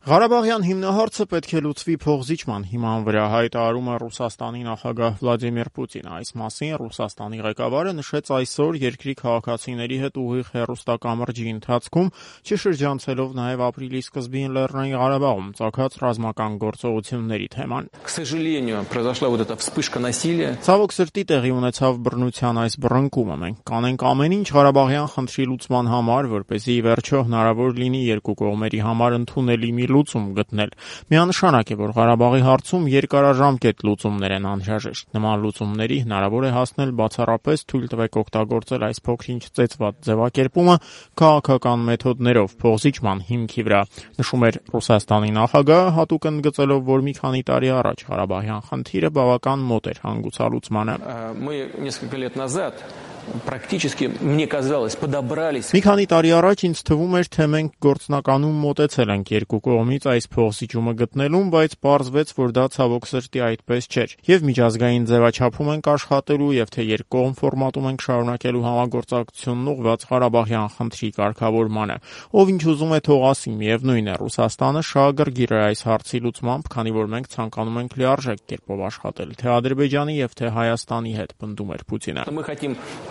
Ղարաբաղյան հիմնահարցը պետք է լուծվի փոխզիջման հիման վրա, հայտարարում է Ռուսաստանի նախագահ Վլադիմիր Պուտինը։ Այս մասին Ռուսաստանի ղեկավարը նշեց այսօր երկրի քաղաքացիների հետ ուղիղ հեռուստակամրջի ընթացքում, չշրջանցելով նաև ապրիլի սկզբին Լեռնային Ղարաբաղում ծագած ռազմական գործողությունների թեման։ Ցավոք սրտի տեղի ունեցավ բռնության այս բռնկումը։ Մենք կանենք ամեն ինչ Ղարաբաղյան խնդրի լուծման համար, որպեսզի ի վերջո հնարավոր լինի երկու կողմերի համար ընդունելի մի լուծում գտնել։ Միանշանակ է, որ Ղարաբաղի հարցում երկարաժամկետ լուծումներ են անհրաժեշտ։ Նման լուծումների հնարավոր է հասնել բացառապես թույլ տվեք օգտագործել այս փոքրինչ ծեծված ձևակերպումը քաղաքական մեթոդներով փոխզիջման հիմքի վրա, նշում էր Ռուսաստանի նախագահը, հատուկ ընդգծելով, որ մի քանի տարի առաջ Ղարաբաղյան խնդիրը բավական մոտ էր հանգուցալուծմանը։ Մի քանի տարի առաջ ինձ թվում էր, թե մենք գործնականում մոտեցել ենք երկու կողմից այս փոխզիջումը գտնելուն, բայց պարզվեց, որ դա ցավոք սրտի այդպես չէր։ Եվ միջազգային ձևաչափում ենք աշխատելու, եւ թե երկկողմ ֆորմատում ենք շարունակելու համագործակցությունն ուղղված Ղարաբաղյան խնդրի կարգավորմանը։ Ով ինչ ուզում է թող ասի, միևնույն է, Ռուսաստանը շահագրգիռ է այս հարցի լուծմամբ, քանի որ մենք ցանկանում ենք լիարժեք կերպով աշխատել թե Ադրբեջանի եւ թե Հայաստանի հետ, պնդում էր Պուտինը։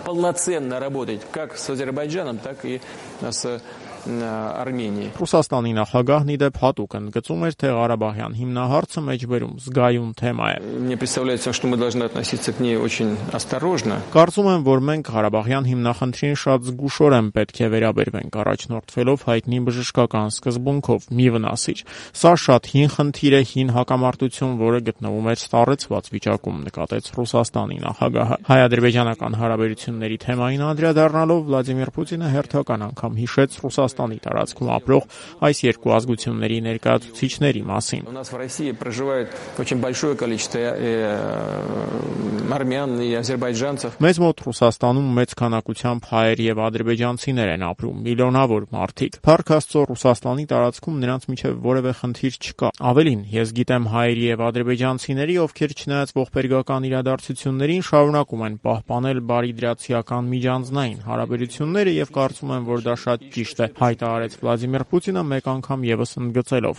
Полноценно работать как с Азербайджаном, так и с Арменией. Ռուսաստանի նախագահն ի դեպ հատուկ ընդգծում էր, թե Ղարաբաղյան հիմնահարցը մեջբերում զգայուն թեմա է։ Мне представляется, что мы должны относиться к ней очень осторожно. Կարծում եմ, որ մենք Ղարաբաղյան հիմնախնդրին շատ զգուշորեն պետք է վերաբերվենք, առաջնորդվելով հայտնի բժշկական սկզբունքով՝ մի վնասիչ։ Սա շատ հին խնդիր է, հին հակամարտություն, որը գտնվում էր սառեցված վիճակում, նկատեց Ռուսաստանի նախագահը։ Հայ-ադրբեջանական հարաբերությունների թեմային անդրադառնալով Վլադիմիր Պուտինը հերթական անգամ հիշեց Ռուսաստանի տարածքում ապրող այս երկու ազգությունների ներկայացուցիչների մասին։ У нас в России проживает очень большое количество армян и азербайджанцев. Մեծ մոտ Ռուսաստանում մեծ քանակությամբ հայեր եւ ադրբեջանցիներ են ապրում, միլիոնավոր մարդիկ։ Փառք Աստծո, Ռուսաստանի տարածքում նրանց միջև որևէ խնդիր չկա։ Ավելին, ես գիտեմ հայերի եւ ադրբեջանցիների, ովքեր չնայած ողբերգական իրադարձություններին շարունակում են պահպանել բարիդրացիական միջանձնային հարաբերությունները եւ կարծում եմ, որ դա շատ ճիշտ է, հայտարարեց Վլադիմիր Պուտինը մեկ անգամ եւս ընդգծելով.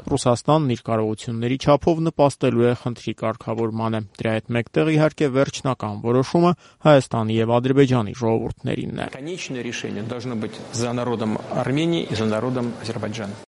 Ռուսաստանն իր կարողությունների չափով նպաստելու է խնդրի կարգավորմանը։ Դրա հետ մեկտեղ իհարկե վերջնական որոշումը Հայաստանի եւ Ադրբեջանի ժողովուրդներինն է։ Конечное решение должно быть за народом Армении и за народом Азербайджана.